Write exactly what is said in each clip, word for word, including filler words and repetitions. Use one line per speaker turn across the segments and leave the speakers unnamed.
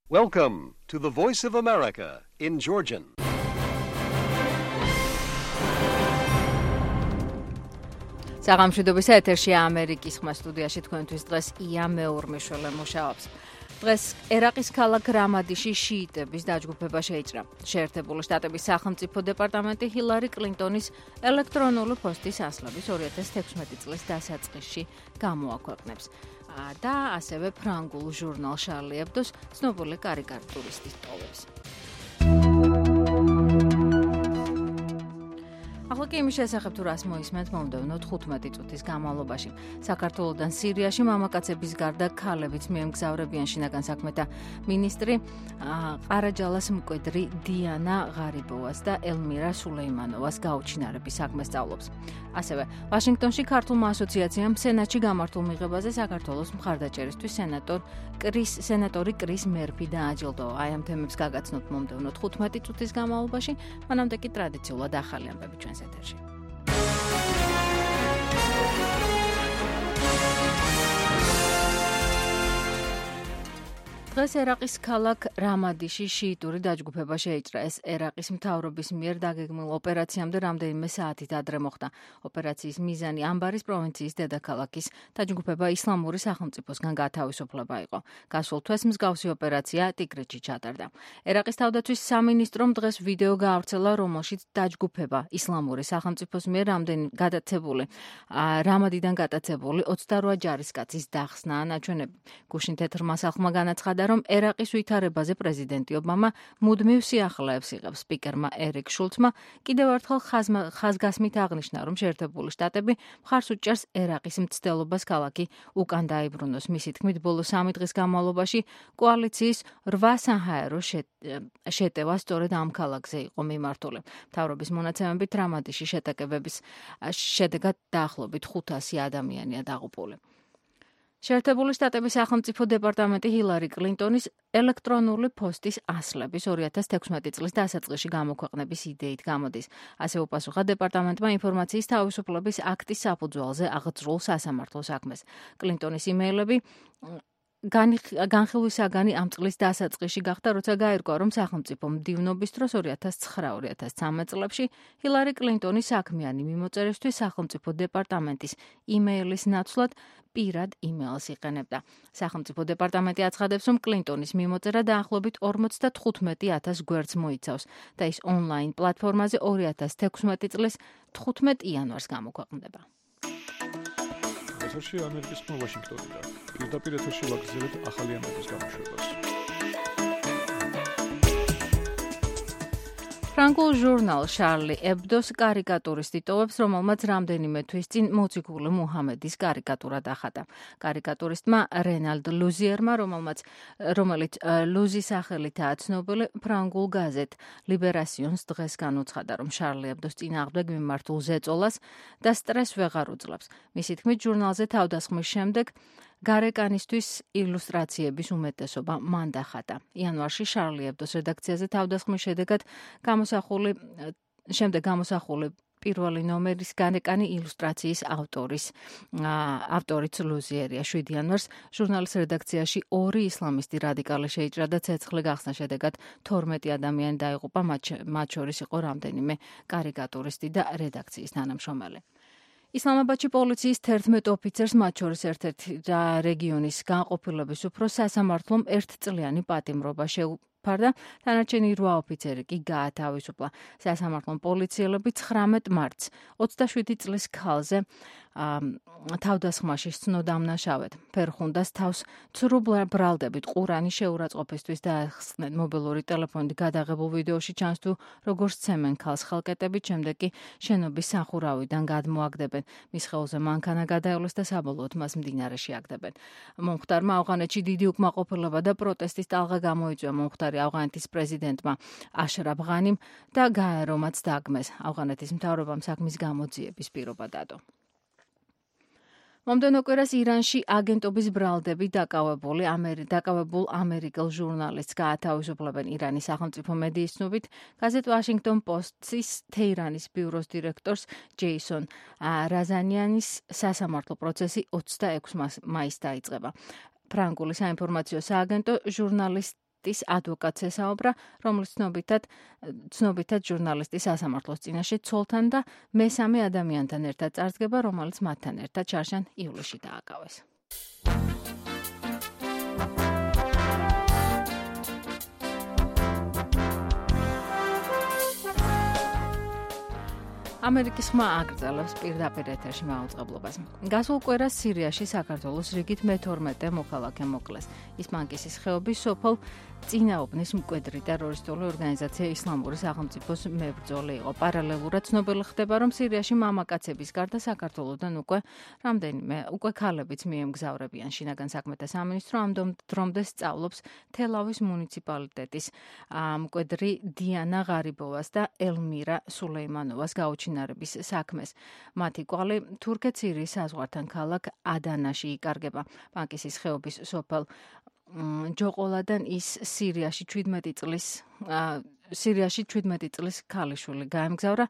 Welcome to the Voice of America in Georgian.
საღამოშვიდობის ეთერშია ამერიკის ხმა სტუდიაში თქვენთვის დღეს ია მეურმიშვილი მუშაობს. დღეს ერაყის ქალაქ რამადიში შიიტების დაჯგუფება შეიჭრა. შეერთებული შტატების სახელმწიფო დეპარტამენტი ჰილარი კლინტონის ელექტრონული პოსტის ასლების ორი ათას თექვსმეტი წლის დასაწყისში გამოაქვეყნებს. და ასევე ფრანგულ ჟურნალ შარლი ებდოს ცნობილი კარიკატურისტის ტოვებს. ახლა კი იმის შესახებ თუ რას მოისმენთ მომდევნო თხუთმეტი წუთის განმავლობაში. საქართველოდან სირიაში მამაკაცების გარდა ქალებიც მიემგზავრებიან შინაგან საქმეთა მინისტრი ყარაჯალას მკვიდრი დიანა ღარიბოვას და ელმირა სულეიმანოვას გაუჩინარების საქმეს სწავლობს. ასევე ვაშინგტონში ქართულმა ასოციაციამ სენატში გამართულ მიღებაზე საქართველოს მხარდაჭერისთვის სენატორ კრის სენატორი კრის მერფი დააჯილდოვა. აი ამ თემებს გაგაცნობთ მომდევნო თხუთმეტი წუთის განმავლობაში, მანამდე კი ტრადიციულად ახალი ამბები ჩვენს ეთერში. დღეს ერაყის ქალაქ რამადიში შიიტური დაჯგუფება შეიჭრა. ეს ერაყის მთავრობის მიერ დაგეგმილ ოპერაციამდე რამდენიმე საათით ადრე მოხდა. ოპერაციის მიზანი ამბარის პროვინციის დედაქალაქის დაჯგუფება ისლამური სახელმწიფოსგან გათავისუფლება იყო. გასულ თვეს მსგავსი ოპერაცია ტიგრეთში ჩატარდა. ერაყის თავდაცვის სამინისტრომ დღეს ვიდეო გაავრცელა, რომელშიც დაჯგუფება ისლამური სახელმწიფოს მიერ რამდენი გადაცებული რამადიდან გადაცებული ოცდარვა ჯარისკაცის დახსნა ნაჩვენები. გუშინ თეთრმა სახლმა განაცხადა, რომ ერაყის ვითარებაზე პრეზიდენტი ობამა მუდმივ სიახლეებს იღებს. სპიკერმა ერიკ შულცმა კიდევ ერთხელ ხაზგასმით აღნიშნა, რომ შეერთებული შტატები მხარს უჭერს ერაყის მცდელობას ქალაქი უკან დაიბრუნოს. მისი თქმით, ბოლო სამი დღის განმავლობაში კოალიციის რვა საჰაერო შეტევა სწორედ ამ ქალაქზე იყო მიმართული. მთავრობის მონაცემებით რამადიში შეტაკებების შედეგად დაახლოებით ხუთასი ადამიანია დაღუპული. შეერთებული შტატების სახელმწიფო დეპარტამენტი ჰილარი კლინტონის ელექტრონული პოსტის ასლების ორი ათას თექვსმეტი წლის დასაწყისში გამოქვეყნების იდეით გამოდის. ასე უპასუხა დეპარტამენტმა ინფორმაციის თავისუფლების აქტის საფუძველზე აღძრულ სასამართლო საქმეს. კლინტონის იმეილები განხილვისაგანი ამ წლის დასაწყისში გახდა, როცა გაირკვა, რომ სახელმწიფო მდივნობის დროს ორი ათას ცხრა ორი ათას ცხრამეტ წლებში ჰილარი კლინტონის საქმიანი მიმოწერისთვის სახელმწიფო დეპარტამენტის იმეილის ნაცვლად პირად იმეილს იყენებდა. სახელმწიფო დეპარტამენტი აცხადებს, რომ კლინტონის მიმოწერა დაახლოებით ორმოცდათხუთმეტი ათას გვერდს მოიცავს და ის ონლაინ პლატფორმაზე ორი ათას თექვსმეტი წლის თხუთმეტ იანვარს გამოქვეყნდება.
ეთერში ამერიკის ხმა ვაშინგტონიდან. პირდაპირ ეთერში ვაგრძელებთ ახალი ამბების გამოშვებას.
ფრანგულ ჟურნალ შარლი ებდოს კარიკატურისტი ტოვებს, რომელმაც რამდენიმე თვის წინ მოციქული მუჰამედის კარიკატურა დახატა. კარიკატურისტმა რენალდ ლუზიერმა, რომელმაც რომელიც ლუზის სახელითაა ცნობილი, ფრანგულ გაზეთ ლიბერასიონს დღეს განუცხადა, რომ შარლი ებდოს წინააღმდეგ მიმართულ ზეწოლას და სტრესს ვეღარ უძლებს. მისი თქმით, ჟურნალზე თავდასხმის შემდეგ გარეკანისთვის ილუსტრაციების უმეტესობა მან დახატა. იანვარში შარლი ებდოს რედაქციაზე თავდასხმის შედეგად გამოსახული შემდეგ გამოსახული პირველი ნომერის გარეკანი ილუსტრაციის ავტორის ავტორიც ლუზიერია. შვიდი იანვარს ჟურნალის რედაქციაში ორი ისლამისტი რადიკალი შეიჭრა და ცეცხლი გახსნა შედეგად თორმეტი ადამიანი დაიღუპა, მათ შორის იყო რამდენიმე კარიკატურისტი და რედაქციის თანამშრომელი. ისლამაბადში პოლიციის თერთმეტ ოფიცერს, მათ შორის ერთ-ერთი რეგიონის განყოფილების უფროსს სასამართლომ ერთწლიანი პატიმრობა შეუფარდა, დანარჩენი რვა ოფიცერი კი გაათავისუფლა. სასამართლომ პოლიციელები ცხრამეტ მარტს ოცდაშვიდი წლის ქალზე თავდასხმაში სცნო დამნაშავედ. ფერხუნდას თავს ცრუ ბრალდებით ყურანის შეურაცხყოფისთვის დაახსნენ. მობილური ტელეფონით გადაღებულ ვიდეოში ჩანს თუ როგორც ცემენ ქალს ხელკეტებით, შემდეგ კი შენობის სახურავიდან გადმოაგდებენ. მის ხელზე მანქანა გადაევლეს და საბოლოოდ მას მდინარეში აგდებენ. მომხდარმა ავღანეთში დიდი უკმაყოფილება და პროტესტის ტალღა გამოიწვია. მომხდარი ავღანეთის პრეზიდენტმა აშრაფ ღანიმ და გაერო მათ დაგმეს. ავღანეთის მთავრობამ საქმის გამოძიების პირობა დადო. მომდევნო კვირას ირანში აგენტობის ბრალდები დაკავებული დაკავებულ ამერიკელ ჟურნალისტს გაათავისუფლებენ. ირანის სახელმწიფო მედიის ცნობით, გაზეთ ვაშინგტონ პოსტის თეირანის ბიუროს დირექტორს ჯეისონ რაზანიანის სასამართლო პროცესი ოცდაექვსი მაისს დაიწყება. ფრანგული საინფორმაციო სააგენტო ჟურნალისტ ჟურნალისტის ადვოკატს ესაუბრა, რომლის ცნობითად ცნობითად ჟურნალისტის სასამართლოს წინაშე ცოლთან და მესამე ადამიანთან ერთად წარსდგება, რომელიც მათთან ერთად შარშან ივლისში დააკავეს. ამერიკის ხმა აგრძელებს პირდაპირ ეთერში მაუწყებლობას. გასულ კვირას სირიაში საქართველოს რიგით მეთორმეტე მოქალაქე მოკლეს. ის მანკისის ხეობის სოფელ წინაობნის მკვიდრი ტერორისტული ორგანიზაცია ისლამური სახელმწიფოს მებრძოლი იყო. პარალელურად ცნობილი ხდება, რომ სირიაში მამაკაცების გარდა საქართველოდან უკვე რამდენიმე უკვე ქალებიც მიემგზავრებიან. შინაგან საქმეთა სამინისტრო ამ დრომდე სწავლობს თელავის მუნიციპალიტეტის მკვიდრი დიანა ღარიბოვას და ელმირა სულეიმანოვას გაუჩინარების საქმეს. მათი კვალი თურქეთ-სირიის საზღვართან ქალაქ ადანაში იკარგება. მანკისის ხეობის სოფელ ჯოყოლადან ის სირიაში ჩვიდმეტი წლის სირიაში ჩვიდმეტი წლის ქალიშვილი გაემგზავრა,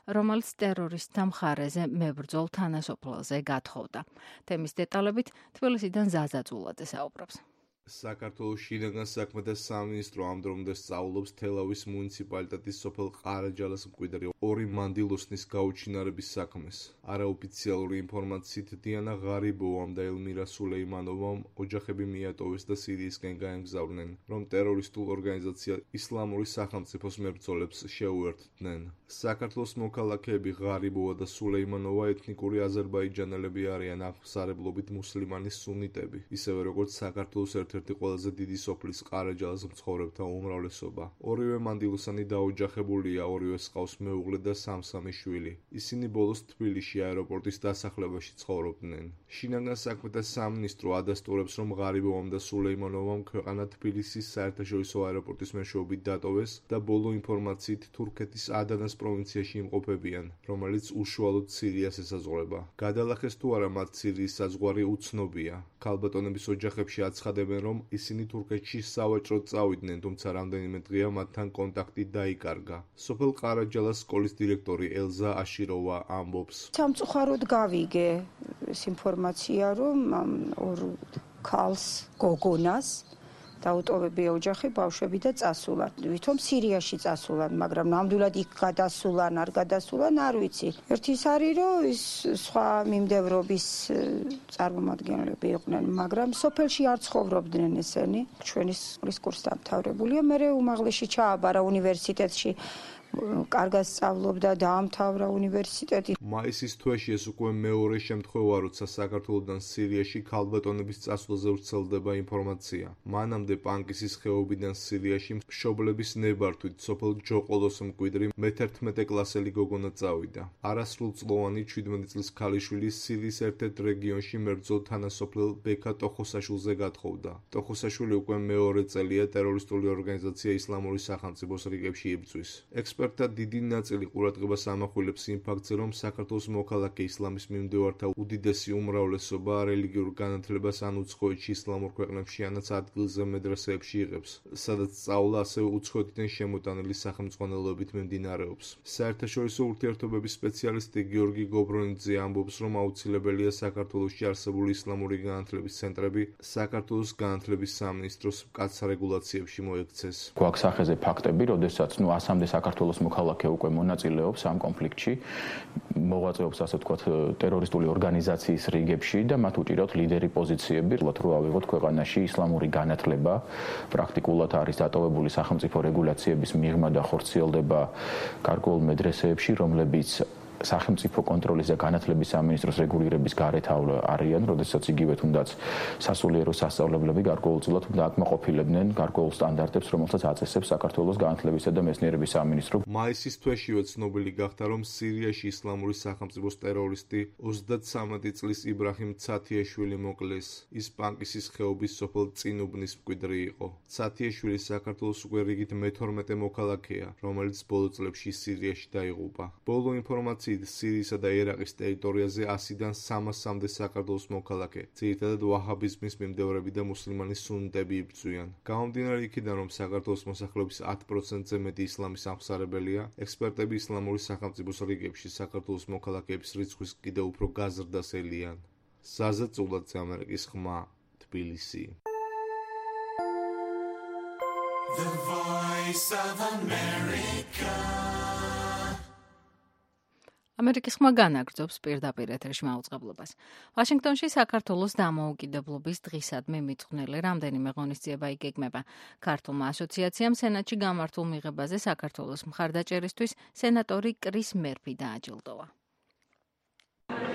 რომელიც ტერორისტთა მხარეზე მებრძოლ თანასოფლელზე გათხოვდა. თემის დეტალებით თბილისიდან ზაზა წულაძე საუბრობს.
საქართველოს შინაგან საქმეთა სამინისტრო ამ დრომდე სწავლობს თელავის მუნიციპალიტეტის სოფელ ყარაჯალას მკვიდრი ორი მანდილოსნის გაუჩინარების საქმეს. არაოფიციალური ინფორმაციით დიანა ღარიბოვამ და ელმირა სულეიმანოვამ ოჯახები მიატოვეს და სირიისკენ გაემგზავრნენ, რომ ტერორისტულ ორგანიზაცია ისლამური სახელმწიფოს მებრძოლებს შეუერთდნენ. საქართველოს მოქალაქეები ღარიბოვა და სულეიმანოვა ეთნიკური აზერბაიჯანელები არიან, აღმსარებლობით მუსლიმანი სუნიტები, ისევე როგორც საქართველოს ერთ-ერთი ყველაზე დიდი სოფლის ყარაჯალას მცხოვრებთა უმრავლესობა. ორივე მანდილოსანი დაოჯახებულია, ორივეს ჰყავს მეუღლე და სამ-სამი შვილი. ისინი ბოლოს თბილისში აეროპორტის დასახლებაში ცხოვრობდნენ. შინაგან საქმეთა სამინისტრო ადასტურებს, რომ ღარიბოვამ და სულეიმანოვამ ქვეყანა თბილისის საერთაშორისო აეროპორტის მეშვეობით დატოვეს და ბოლო ინფორმაციით თურქეთის ადანას პროვინციაში იმყოფებიან, რომელიც უშუალოდ სირიას ესაზღვრება. გადალახეს თუ არა მათ სირიის საზღვარი უცნობია. ქალბატონების ოჯახებში აცხადებენ, რომ ისინი თურქეთში სავაჭროდ წავიდნენ, თუმცა რამდენიმე დღეა მათთან კონტაქტი დაიკარგა. სოფელ ყარაჯალას სკოლის დირექტორი ელზა აშიროვა ამბობს.
სამწუხაროდ გავიგე ეს ინფორმაცია, რომ ორ ქალს გოგონას დაუტოვებია ოჯახი, ბავშვები და წასულან. ვითომ სირიაში წასულან, მაგრამ ნამდვილად იქ გადასულან, არ გადასულან, არ ვიცი. ერთი ის არის, რომ ის სხვა მიმდევრობის წარმომადგენლები იყვნენ, მაგრამ სოფელში არ ცხოვრობდნენ ესენი. ჩვენი სკოლის კურსი დამთავრებულია, მერე უმაღლესი ჩააბარა უნივერსიტეტში. კარგად სწავლობდა, დაამთავრა უნივერსიტეტი.
მაისის თვეში ეს უკვე მეორე შემთხვევა, როცა საქართველოდან სირიაში ქალბატონების წასვლაზე ვრცელდება ინფორმაცია. მანამდე პანკისის ხეობიდან სირიაში მშობლების ნებართვით სოფელ ჯოყოლოს მკვიდრი მეთერთმეტე კლასელი გოგონა წავიდა. არასრულწლოვანი ჩვიდმეტი წლის ქალიშვილი სირიის ერთ-ერთ რეგიონში მებრძოლ თანასოფლელ ბექა ტოხოსაშვილზე გათხოვდა. ტოხოსაშვილი უკვე მეორე წელია ტერორისტული ორგანიზაცია ისლამური სახელმწიფოს რიგებში იბრძვის. ექსპერტთა დიდი ნაწილი ყურადღებას ამახვილებს იმ ფაქტზე, რომ საქართველოს მოქალაქე ისლამის მიმდევართა უდიდესი უმრავლესობა რელიგიურ განათლებას ან უცხოეთში ისლამურ ქვეყნებში ანაც ადგილზე მედრესეებში იღებს, სადაც სწავლა ასევე უცხოეთიდან შემოტანილი სახელმძღვანელოებით მიმდინარეობს. საერთაშორისო ურთიერთობების სპეციალისტი გიორგი გობრონიძე ამბობს, რომ აუცილებელია საქართველოში არსებული ისლამური განათლების ცენტრები საქართველოს განათლების სამინისტროს მკაცრ რეგულაციებში მოექცეს.
გვაქვს სახეზე ფაქტები, როდესაც ნუ ასამდე საქართველოს მოქალაქე უკვე მონაწილეობს ამ კონფლიქტში, მოღვაწეობს ასე ვთქვათ ტერორისტული ორგანიზაციის რიგებში და მათ უჭირავთ ლიდერი პოზიციები, რომ ავიღოთ ქვეყანაში ისლამური განათლება. პრაქტიკულად არის დატოვებული სახელმწიფო რეგულაციების მიღმა და ხორციელდება გარკვეულ მედრესეებში, რომლებიც სახელმწიფო კონტროლის და განათლების სამინისტროს რეგულირების გარეთ არიან, როდესაც იგივე თუნდაც სასულიერო სასწავლებლები გარკვეულწილად უნდა აკმაყოფილებდნენ გარკვეულ სტანდარტებს, რომელსაც აწესებს საქართველოს განათლებისა და მეცნიერების სამინისტრო.
მაისის თვეშივე ცნობილი გახდა, რომ სირიაში ისლამური სახელმწიფოს ტერორისტი ოცდათსამეტი წლის იბრაჰიმ ცათიაშვილი მოკლეს. ის პანკისის ხეობის სოფელ წინუბნის მკვიდრი იყო. ცათიაშვილი საქართველოს უკვე რიგით მეთორმეტე მოქალაქეა, რომელიც ბოლო წლებში სირიაში დაიღუპა. ბოლო ინფორმაცია სირიისა და ერაყის ტერიტორიაზე ასიდან სამასამდე საქართველოს მოქალაქე, ძირითადად ვაჰაბიზმის მიმდევრები და მუსლიმანი სუნიტები იბრძვიან. გამომდინარე იქიდან, რომ საქართველოს მოსახლეობის ათ პროცენტზე მეტი ისლამის აღმსარებელია, ექსპერტები ისლამური სახელმწიფოს რიგებში საქართველოს მოქალაქეების რიცხვის კიდევ უფრო გაზრდას ელიან. ზაზა წულაძე, ამერიკის ხმა, თბილისი.
The Voice of America.
ამერიკის ხმა განაგრძობს პირდაპირ ეთერში მაუწყებლობას. ვაშინგტონში საქართველოს დამოუკიდებლობის დღისადმი მიძღვნილი რამდენიმე ღონისძიება იგეგმება. ქართულმა ასოციაციამ სენატში გამართულ მიღებაზე საქართველოს მხარდაჭერისთვის სენატორი კრის მერფი დააჯილდოვა.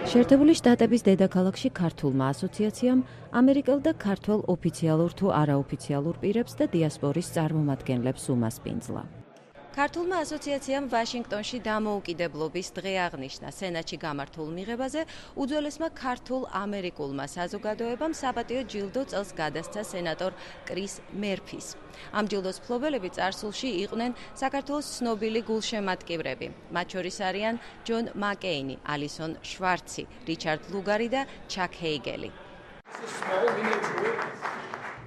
შეერთებული შტატების დედაქალაქში ქართულმა ასოციაციამ ამერიკელ და ქართველ ოფიციალურ თუ არაოფიციალურ პირებს და დიასპორის წარმომადგენლებს უმასპინძლა. ქართულმა ასოციაციამ ვაშინგტონში დამოუკიდებლობის დღე აღნიშნა. სენატში გამართულ მიღებაზე უძველესმა ქართულ ამერიკულმა საზოგადოებამ საპატიო ჯილდო წელს გადასცა სენატორ კრის მერფის. ამ ჯილდოს მფლობელები წარსულში იყვნენ საქართველოს ცნობილი გულშემატკივრები. მათ შორის არიან ჯონ მაკეინი, ალისონ შვარცი, რიჩარდ ლუგარი და ჩაკ ჰეიგელი.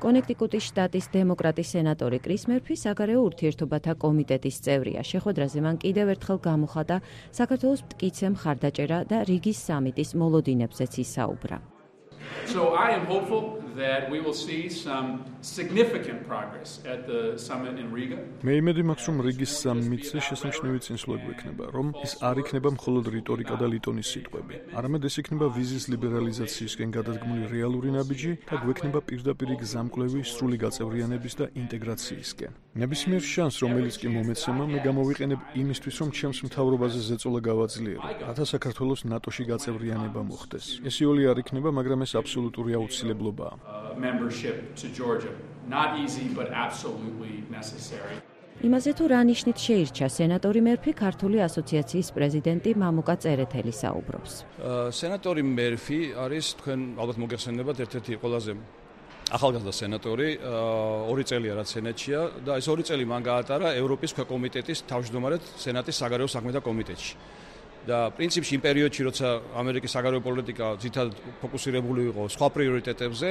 კონექტიკუტის შტატის დემოკრატი სენატორი კრის მერფი საგარეო ურთიერთობათა კომიტეტის წევრია. შეხვედრაზე მან კიდევ ერთხელ გამოხატა საქართველოს მტკიცე მხარდაჭერა და რიგის სამიტის მოლოდინებზეც ისაუბრა.
So I am hopeful that we will see some significant progress at the summit in Riga.
მე იმედი მაქვს, რომ რიგის სამიტზე შესამჩნევი წინსვლები ექნება, რომ ის არ იქნება მხოლოდ რიტორიკა და ლიტონის სიტყვები, არამედ ეს იქნება ვიზის ლიბერალიზაციისკენ გადადგმული რეალური ნაბიჯი და გვექნება პირდაპირი გზამკვლევი სრული გაწევრიანების და ინტეგრაციისკენ. ნებისმიერ შანსს, რომელიც კი მომეცემა, მე გამოვიყენებ იმისთვის, რომ ჩემს მთავრობაზე ზეწოლა გავაძლიერო, რათა საქართველოს ნატოში გაწევრიანება მოხდეს. ეს იოლი არ იქნება, მაგრამ ეს აბსოლუტური აუცილებლობაა.
Membership to Georgia. Not easy, but absolutely necessary.
იმაზე თუ რა ნიშნით შეირჩა სენატორი მერფი ქართული ასოციაციის პრეზიდენტი მამუკა წერეთელი საუბრობს.
სენატორი მერფი არის თქვენ ალბათ მოგეხსენებათ ერთ-ერთი ყველაზე ახალგაზრდა სენატორი, ორი წელია რაც სენატშია და ეს ორი წელი მან გაატარა ევროპის ქვეკომიტეტის თავმჯდომარედ სენატის საგარეო საქმეთა კომიტეტში. და პრინციპში იმ პერიოდში, როცა ამერიკის საგარეო პოლიტიკა ძირითადად ფოკუსირებული იყო სხვა პრიორიტეტებზე,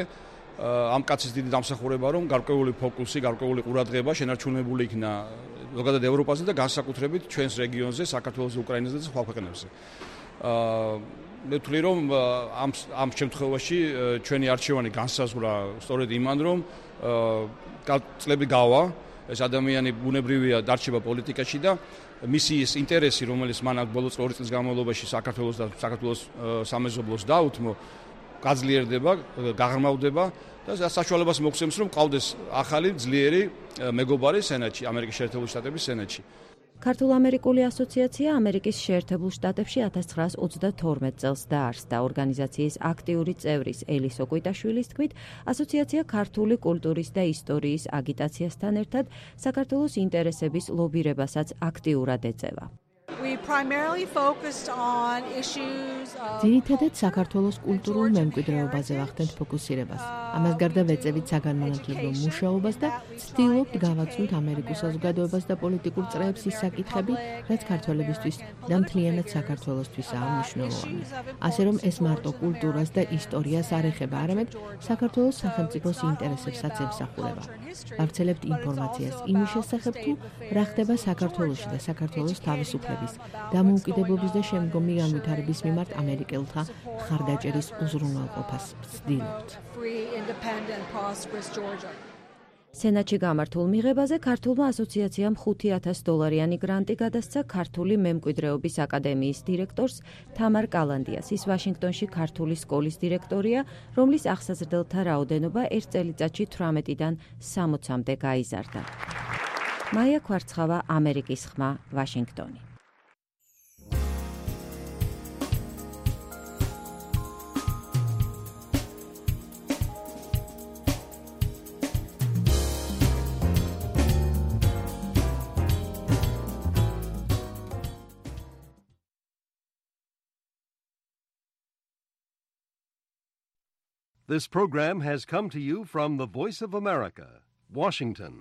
ამ კაცის დიდი დამსახურება, რომ გარკვეული ფოკუსი, გარკვეული ყურადღება შენარჩუნებული იქნა ზოგადად ევროპაზე და განსაკუთრებით ჩვენს რეგიონზე, საქართველოს, უკრაინაზე და სხვა ქვეყნებზე. მე ვთვლი, რომ ამ ამ შემთხვევაში ჩვენი არჩევანი განსაზღვრა სწორედ იმან, რომ წლები გავა, ეს ადამიანი ბუნებრივია დარჩება პოლიტიკაში და მისი ის ინტერესი, რომელიც მან ბოლო ორი წლის განმავლობაში საქართველოს და საქართველოს სამეზობლოს დაუთმო, გაძლიერდება, გაღრმავდება და საშუალებას მოგცემს, რომ ყავდეს ახალი ძლიერი მეგობარი სენატში, ამერიკის შეერთებული შტატების სენატში.
ქართულ-ამერიკული ასოციაცია ამერიკის შეერთებულ შტატებში ათას ცხრაას ოცდათორმეტ წელს დაარსდა. ორგანიზაციის აქტიური წევრის ელის ოკვიტაშვილის თქმით, ასოციაცია ქართული კულტურის და ისტორიის აგიტაციასთან ერთად საქართველოს ინტერესების ლობირებასაც აქტიურად ეწევა.
ძირითადად საქართველოს კულტურულ მემკვიდრეობაზე ვახდენთ ფოკუსირებას. ამას გარდა ვეწევით საგანმანათლებლო მუშაობას და ვცდილობთ გავაცნოთ ამერიკულ საზოგადოებას და პოლიტიკურ წრეებს ის საკითხები, რაც ქართველებისთვის და მთლიანად საქართველოსთვისაა მნიშვნელოვანი. ასე რომ ეს მარტო კულტურას და ისტორიას არ ეხება, არამედ საქართველოს სახელმწიფოს ინტერესებსაც ემსახურება. ვავრცელებთ ინფორმაციას იმის შესახებ, თუ რა ხდება საქართველოში და საქართველოს თავისუფლების, დამოუკიდებლობის და შემდგომი განვითარების მიმართ ამერიკელთა მხარდაჭერის უზრუნველყოფას ვცდილობთ.
სენატში გამართულ მიღებაზე ქართულმა ასოციაციამ ხუთი ათას დოლარიანი გრანტი გადასცა ქართული მემკვიდრეობის აკადემიის დირექტორს თამარ კალანდიას. ის ვაშინგტონში ქართული სკოლის დირექტორია, რომლის აღსაზრდელთა რაოდენობა ერთ წელიწადში თვრამეტიდან სამოცამდე გაიზარდა. მაია ქვარცხავა, ამერიკის ხმა, ვაშინგტონი.
This program has come to you from the Voice of America, Washington.